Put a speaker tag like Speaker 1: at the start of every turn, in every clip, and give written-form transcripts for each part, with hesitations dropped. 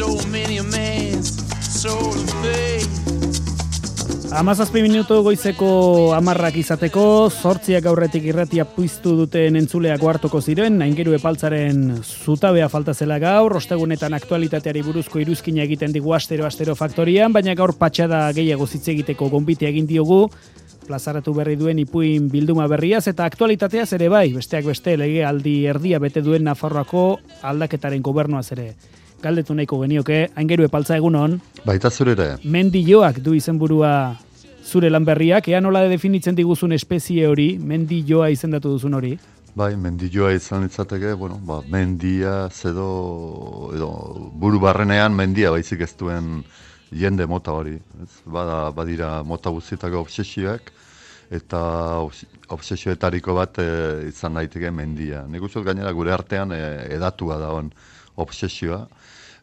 Speaker 1: stole many a man's soul of faith.
Speaker 2: 17 minutu goizeko 10 izateko, 8 aurretik irratia piztu duten entzuleak hartuko ziren, Aingeru Epaltzaren zutabea falta zela gaur, ostegunetan aktualitateari buruzko iruzkina egiten digu astero faktorian, baina gaur patxada gehiago hitz egiteko gonbite egin diogu, plazaratu berri duen ipuin bilduma berriaz eta aktualitateaz ere bai, besteak beste legealdi erdia bete duen Nafarroako aldaketaren gobernuaz ere. Galdetu nahiko genioke, Aingeru Epaltza egunon.
Speaker 3: Baita zurere.
Speaker 2: Mendilloak du izenburua zure lan berriak, ea nola definitzen diguzun espezie hori, mendilloa izendatu duzun hori?
Speaker 3: Bai, mendilloa izan litzateke, mendia, edo buru barrenean mendia baizik ez duen jende mota hori. Badira mota guztietako obsesioak, eta obsesioetariko bat izan daiteke mendia. Nik uste gainera gure artean edatua da on obsesioa.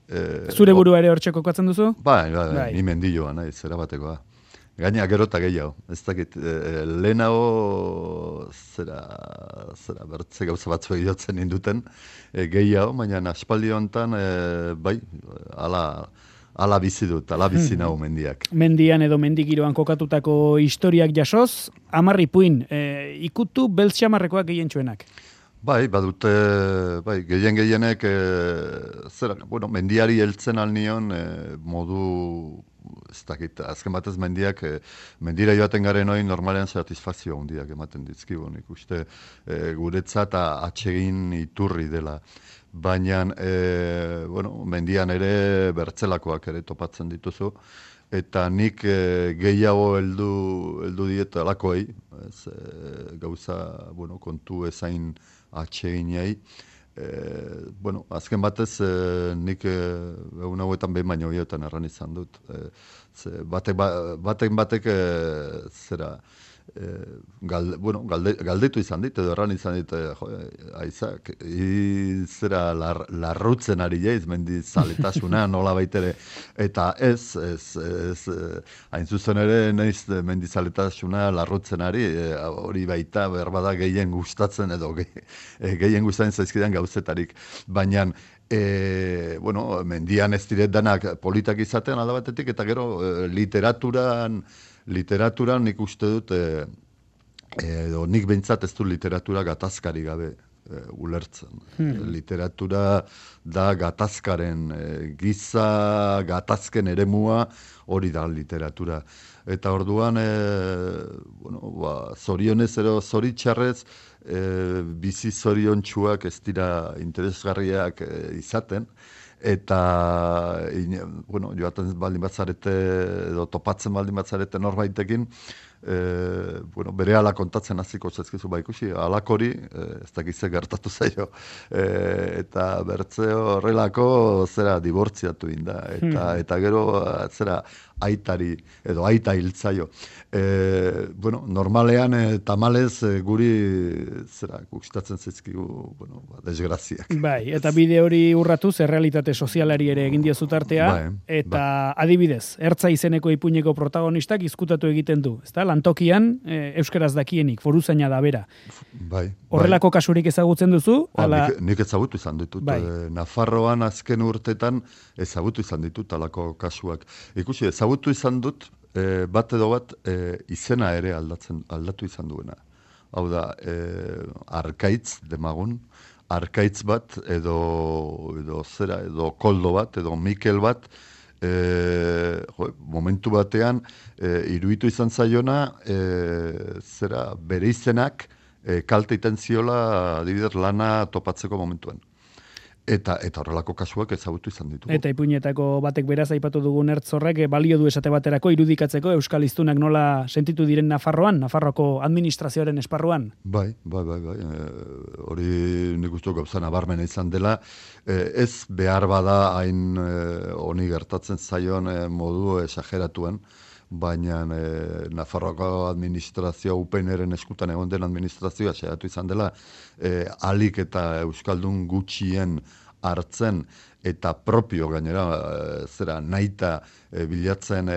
Speaker 2: Zure burua ere hortxe kokatzen duzu?
Speaker 3: Bai, ni mendilloa nahi, zera batekoa. Gaina gero eta gehiago. Ez dakit, lehenago zera bertze gauza batzu egiten induten gehiago, baina aspaldi honetan, bai, ala bizi dut, ala bizi nahu mendiak.
Speaker 2: Mendian edo mendigiroan kokatutako historiak jasoz, 10 ipuin, ikutu beltxamarrekoak gehientsuenak.
Speaker 3: Bai, badute, gehienek, mendiari heltzen alnion modu, ez dakit, azken batez mendiak, mendira joaten garen hori normalean satisfazio handiak ematen dizkigu, nik uste guretzat atsegin iturri dela. Baina, mendian ere bertzelakoak ere topatzen dituzu, eta nik gehiago heldu diet alakoei, gauza, kontu ezain atseginei. Azken batez, nik egun hauetan behin baino hioetan erran izan dut. Batek zera, galdetu izan dit, edo erran izan dit, Aizak, zera larrutzen ari jaiz, mendizaletasuna, nola baitere, eta ez, hain zuzen ere, naiz mendizaletasuna larrutzen ari, hori baita berbada gehien gustatzen, edo gehien gustatzen zaizkidan gauzetarik, baina, mendian ez diret danak politak izaten alda batetik, eta gero literaturan nik uste dut, edo nik behintzat ez du literatura gatazkari gabe ulertzen. Literatura da gatazkaren, giza gatazken eremua hori da literatura. Eta orduan, zorionez ero zoritxarrez, bizi zoriontsuak ez dira interesgarriak izaten, eta joaten baldin batzarete edo topatzen baldin batzarete norbaitekin, berehala kontatzen hasiko zaizkizu ikusi, alakori, ez dakize gertatu zaio, eta bertze horrelako zera dibortziatu inda, eta gero zera aitari, edo aita hiltzaio. Normalean, tamalez, guri zera gustatzen zaizkigu, desgraziak.
Speaker 2: Bai, eta bide hori urratuz, errealitate sozialari ere egin diozu tartea, eta adibidez, Ertza izeneko ipuineko protagonistak izkutatu egiten du, ezta? Lantokian, euskaraz dakienik, foruzaina da bera.
Speaker 3: Bai.
Speaker 2: Horrelako kasurik ezagutzen duzu?
Speaker 3: Nik ezagutu izan ditut. Nafarroan azken urtetan ezagutu izan ditut alako kasuak. Ikusi, ezagutu izan dut, bat edo bat izena ere aldatu izan duena. Hau da, Arkaitz demagun, Arkaitz bat, edo zera, edo Koldo bat, edo Mikel bat, momentu batean iruditu izan zaiona zera bere izenak kalte iten ziola adibidez lana topatzeko momentuan. Eta horrelako kasuak ezagutu izan ditugu.
Speaker 2: Eta ipuinetako batek beraz aipatu dugun Ertzorrek balio du esate baterako irudikatzeko euskal hiztunak nola sentitu diren Nafarroan, Nafarroako administrazioaren esparruan?
Speaker 3: Bai. Hori nik uste gauza nabarmena izan dela, ez behar bada hain honi gertatzen zaion modu esageratuen, baina Nafarroako administrazioa UPNren eskutan egon den administrazioa saiatu izan dela alik eta euskaldun gutxien hartzen eta propio gainera, zera naita bilatzen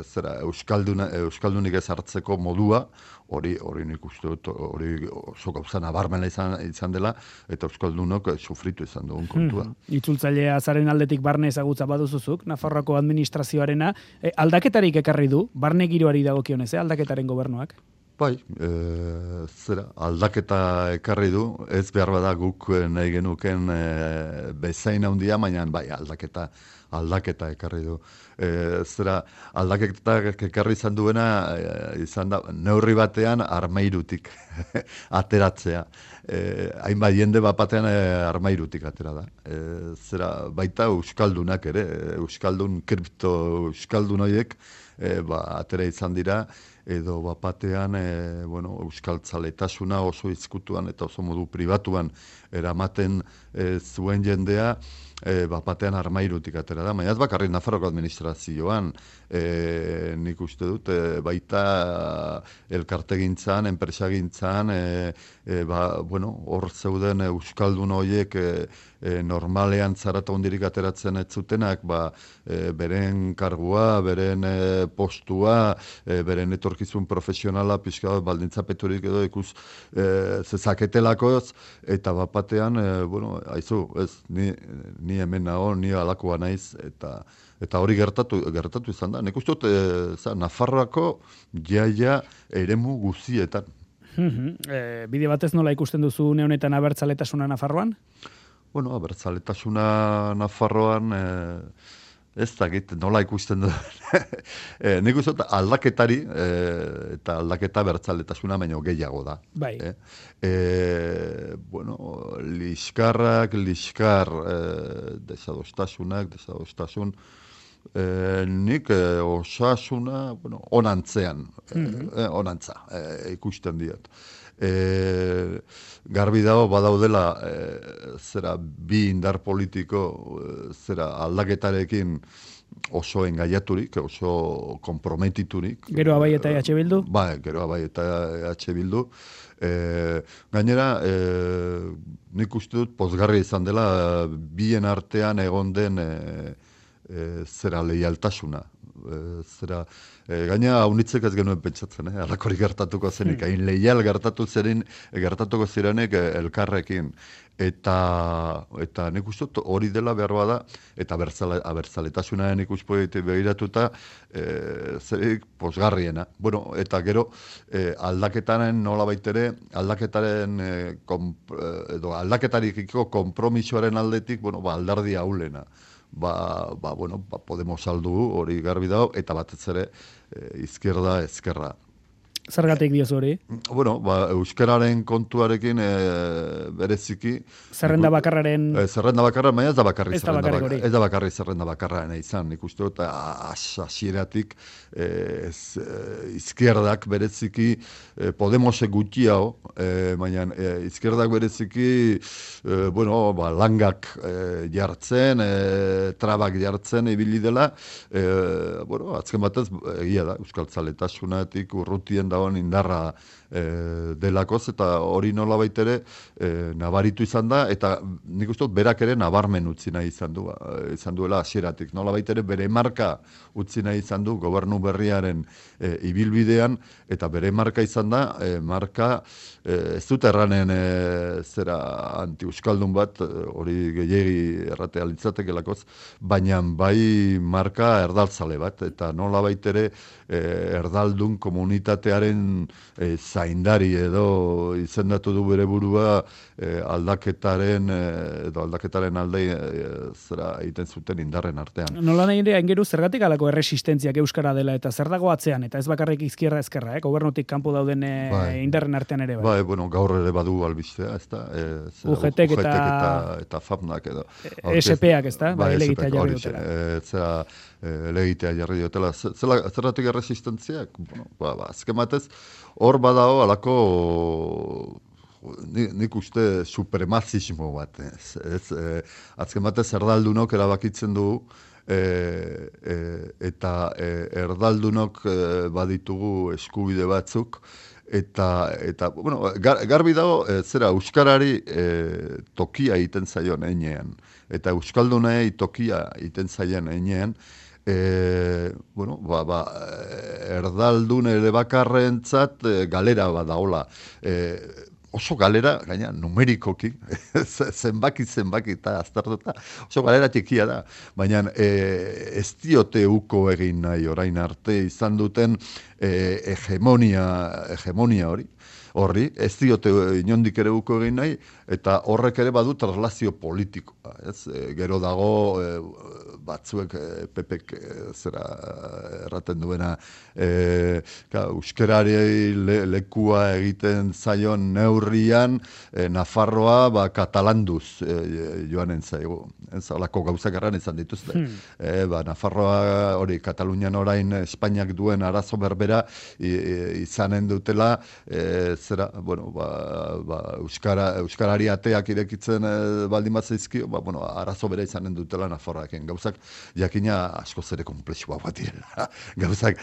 Speaker 3: zera euskaldunik ez hartzeko modua, hori nik uste dut, hori oso gauza nabarmena izan dela, eta euskaldunok sufritu izan dugun kontua.
Speaker 2: Itzultzailea zaren aldetik barne ezagutza baduzuzuk, Nafarroako administrazioarena, aldaketarik ekarri du, barne giroari dagokionez, aldaketaren gobernuak?
Speaker 3: Bai, zera, aldaketa ekarri du, ez behar bada guk nahi genuken bezain handia, baina bai, aldaketa ekarri du. Zera, aldaketa ekarri izan duena, izan da, neurri batean armairutik ateratzea. Hainbat jende batean armairutik atera da. Zera, baita euskaldunak ere, euskaldun horiek, atera izan dira, edo bapatean euskaltzaletasuna oso izkutuan eta oso modu pribatuan eramaten zuen jendea, bapatean armairutik atera da. Baina ez bakarrik Nafarroko administrazioan, nik uste dut, baita elkartegintzan, enpresagintzan, hor zeuden euskaldun horiek normalean zarata hondirik ateratzen ez zutenak, beren kargua, beren postua, beren etorkizun profesionala, pixka baldintzapeturik edo ikus zezaketelako, eta bapatean, aizu, ez, ni hemen nago, ni alakoa naiz, eta hori gertatu izan da. Nik uste dut, Nafarroako jaia eremu guzietan.
Speaker 2: Bide batez nola ikusten duzu une honetan abertzaletasuna Nafarroan?
Speaker 3: Bueno, abertzaletasuna Nafarroan, ez dakit nola ikusten du. Nik uste dut aldaketari, eta aldaketa abertzaletasuna baino gehiago da.
Speaker 2: Bai.
Speaker 3: Liskar, desadostasun, nik osasuna, onantzean, onantza, ikusten diat. Garbi dago badaudela zera bi indar politiko zera aldaketarekin oso engaiaturik, oso komprometiturik.
Speaker 2: Gero Abai eta EH Bildu?
Speaker 3: Bai, gero Abai eta EH Bildu. Gainera, nik uste dut pozgarri izan dela bien artean egon den zera leialtasuna. Gaina haunitzek ez genuen pentsatzen, alakorik gertatuko zenik, hain leial gertatuko zirenek elkarrekin. Eta nik uste dut hori dela behar bada, eta abertzaletasunaren ikuspoetik begiratuta, zerik pozgarriena. Eta gero, aldaketaren nola baitere, aldaketarikiko kompromisoaren aldetik, aldardi haulena. Podemos saldu hori garbi dago, eta batez ere izquierda, ezkerra.
Speaker 2: Zergatik diozu hori?
Speaker 3: Euskararen kontuarekin bereziki...
Speaker 2: Zerrenda bakarraren...
Speaker 3: Zerrenda bakarra, baina ez da bakarri
Speaker 2: zerrenda
Speaker 3: bakarra izan. Nik uste dut, hasieratik izquierdak bereziki Podemosek gutxiago, baina izquierdak bereziki langak jartzen, trabak jartzen ibili dela, azken batez, egia da, euskaltzaletasunatik urrutien dagoen indarra delakoz, eta hori nola baitere nabaritu izan da, eta nik uste dut berak ere nabarmen utzi nahi izan duela hasieratik. Nola baitere bere marka utzi nahi izan du gobernu berriaren ibilbidean, eta bere marka izan da, marka ez dut erranen zera anti-euskaldun bat, hori gehiagi erratea litzatekelakoz, baina bai marka erdaltzale bat, eta nola baitere erdaldun komunitatearen zaindari edo izendatu du bere burua aldaketaren alde zera egiten zuten indarren artean.
Speaker 2: Nola nahi ere aingeru zergatik alako erresistentziak euskara dela eta zer dago atzean, eta ez bakarrik izquierda ezkerra, gobernutik kanpo dauden indarren artean ere bai.
Speaker 3: Gaur ere badu albistea, ez da?
Speaker 2: UGT-ek
Speaker 3: eta FAPnak edo.
Speaker 2: SP-ak, ez da? Elegitea jarri dutela.
Speaker 3: Zera elegitea jarri dutela. Zergatik erresistentziak? Azken batez, hor badao alako nik uste supremazismo bat. Azken batez erdaldunok erabakitzen du eta erdaldunok baditugu eskubide batzuk Eta bueno, garbi dago, zera, euskarari tokia egiten zaion einean, eta euskaldunei tokia egiten zaien einean, bueno, erdaldun ere bakarrentzat galera badaola. Oso galera, gaina, numerikoki, zenbaki eta aztertuta, oso galera txikia da. Baina ez diote uko egin nahi orain arte izan duten hegemonia horri, ez diote inondik ere uko egin nahi, eta horrek ere badu translazio politikoa. Gero dago batzuek pepek zera erraten duena euskarari lekua egiten zaion neurrian Nafarroa katalanduz joanen zaigu. Ez alako gauzak erran izan dituzte. Nafarroa hori Katalunian orain Espainiak duen arazo berbera izanen dutela zera, bueno, euskarari ateak irekitzen baldin bat zaizkio, bueno, arazo bera izanen dutela Nafarroaken. Gauzak jakina asko zere komplexua bat direla. Gauzak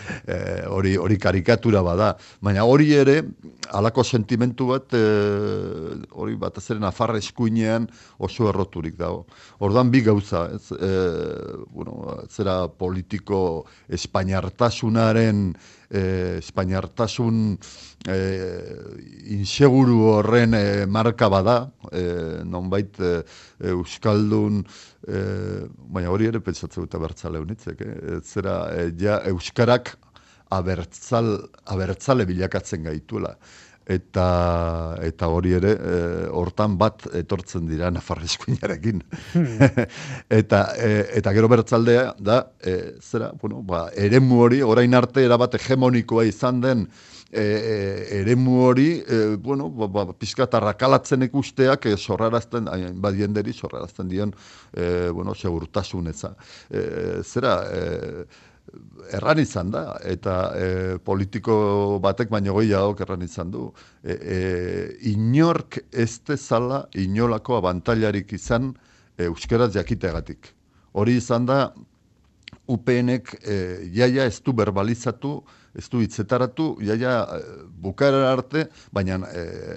Speaker 3: hori karikatura bada. Baina hori ere, halako sentimentu bat, hori bat azeren Nafarra eskuinean oso erroturik dago. Orduan bi gauza, bueno, zera politiko espainiartasunaren espainiartasun inseguru horren marka bada, nonbait euskaldun, baina hori ere pentsatzen dut abertzale honitzek, zera ja euskarak abertzale bilakatzen gaituela. Eta hori ere, hortan bat etortzen dira Nafarra eskuinarekin. Eta gero bertzaldea da, zera, bueno, eremu hori, orain arte erabat hegemonikoa izan den eremu hori, bueno, pizkat arrakalatzen ikusteak sorrarazten, badienderi sorrarazten dion, bueno, segurtasunetza. Zera, erran izan da, eta politiko batek baino gehiagok erran izan du. Inork ez dezala inolako abantailarik izan euskaraz jakiteagatik. Hori izan da, UPNek jaia ez du berbalizatu, ez du hitzetaratu, jaia bukaera arte, baina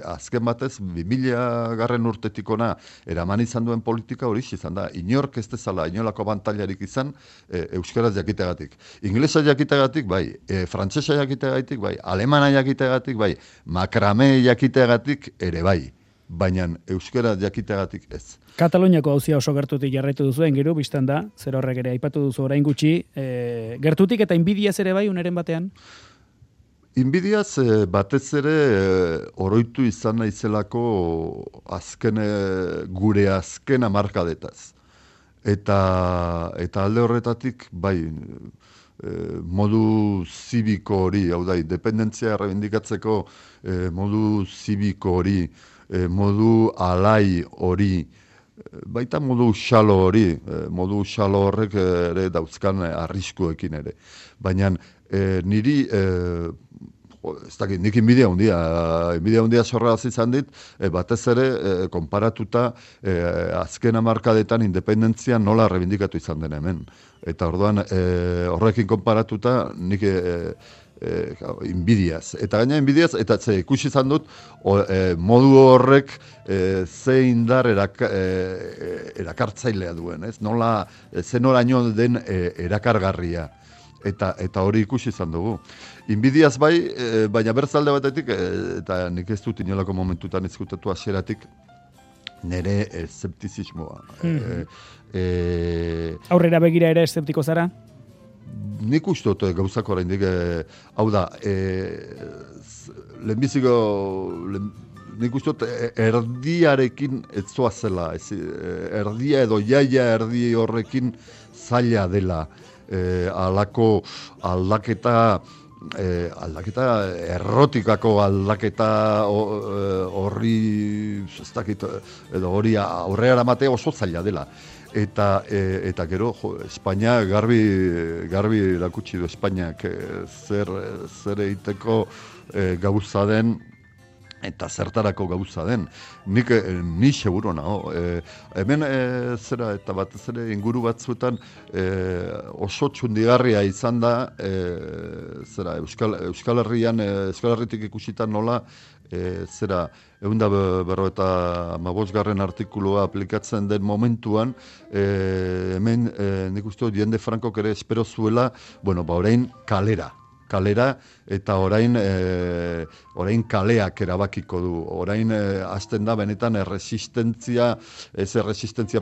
Speaker 3: azken batez, 2000 garren urtetik ona eraman izan duen politika hori izan da, inork ez dezala inolako abantailarik izan euskaraz jakiteagatik. Inglesa jakiteagatik, bai, frantsesa jakiteagatik, bai, alemana jakiteagatik, bai, makrame jakiteagatik ere bai, baina euskara jakiteagatik ez.
Speaker 2: Kataluniako hauzia oso gertutik jarraitu duzuen, gero, biztan da, zer horrek ere aipatu duzu orain gutxi, gertutik eta inbidiaz ere bai, uneren batean?
Speaker 3: Inbidiaz batez ere oroitu izan naizelako gure azken hamarkadetaz. Eta alde horretatik, bai, modu zibiko hori, hau da, independentzia errebindikatzeko modu zibiko hori, modu alai hori, baita modu xalo hori, modu xalo horrek ere dauzkan arriskuekin ere. Baina niri, ez dakit, nik inbidia hundia sorraz izan dit, batez ere, konparatuta azken hamarkadetan independentzia nola rebindikatu izan den hemen. Eta orduan, horrekin konparatuta, nik inbidiaz. Eta gaina inbidiaz, eta ikusi izan dut, modu horrek ze indar erakartzailea duen, ez? Nola, ze noraino den erakargarria. Eta hori ikusi izan dugu. Inbidiaz bai, baina berzalde batetik, eta nik ez dut inolako momentutan ezkutatu hasieratik, nire eszeptizismoa.
Speaker 2: Aurrera begira ere eszeptiko zara?
Speaker 3: Nik uste dut gauzak oraindik, hau da, lehenbiziko, nik uste dut erdiarekin ez zoazela, erdia edo jaia erdi horrekin zaila dela, alako aldaketa errotikako aldaketa horri, ez dakit, edo hori aurrera matea oso zaila dela. Eta gero, Espainia garbi erakutsi du Espainiak zer egiteko gauza den eta zertarako gauza den. Ni seguro nago. Hemen zera eta batez ere inguru batzuetan oso txundigarria izan da zera Euskal Herritik ikusitan nola zera 155. Artikulua aplikatzen den momentuan hemen nik uste dut jende Frankok ere espero zuela, orain kalera eta orain kaleak erabakiko du. Orain hasten da benetan erresistentzia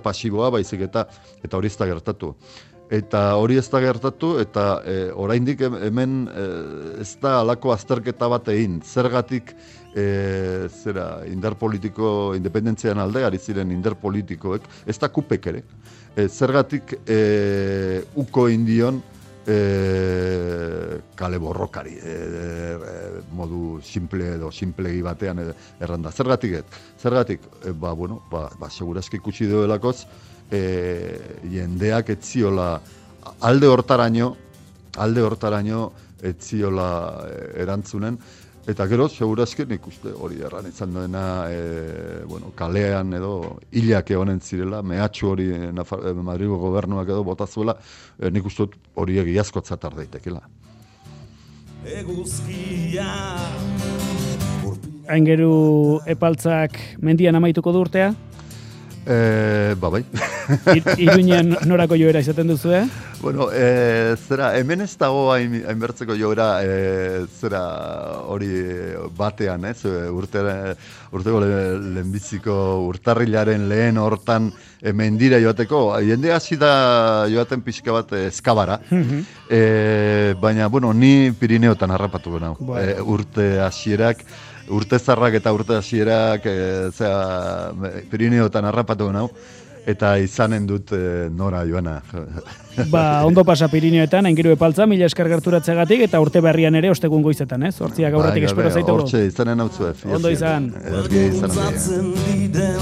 Speaker 3: pasiboa baizik eta hori ez da gertatu. Eta hori ez da gertatu eta oraindik hemen ez da halako azterketa bat egin. Zergatik indar politiko independentzian alde ari ziren indar politikoek, ez da kupek ere. Zergatik uko indion kale borrokari modu simplegi batean erranda. Zergatik? Segurazki ikusi duelakoz jendeak etziola alde hortaraino etziola erantzunen. Eta gero, segurazki nik uste hori erran izan duena, kalean edo hilak egonen zirela, mehatxu hori Madrigo gobernuak edo botazuela, nik uste hori egiazkotzat ardaitekela.
Speaker 2: Aingeru epaltzak mendian amaituko du urtea?
Speaker 3: Bai.
Speaker 2: Iruñean norako joera izaten duzu,
Speaker 3: zera, hemen ez dago hainbertzeko joera, zera, hori batean, urteko lehenbiziko urtarrilaren lehen hortan mendira joateko, jende hasi da joaten pixka bat eskabara, baina, ni Pirineotan harrapatuko nau, urte hasierak, urte zarrak eta urte hasierak Pirineotan harrapatuko nau, eta izanen dut nora joana.
Speaker 2: Ondo pasa Pirineoetan, Aingeru epaltza, mila esker gerturatzeagatik, eta urte berrian ere ostegun goizetan, Hortziak aurretik espero zaitugu.
Speaker 3: Hortxe, izanen hau zuen.
Speaker 2: Ondo izan.
Speaker 3: Ederki izan.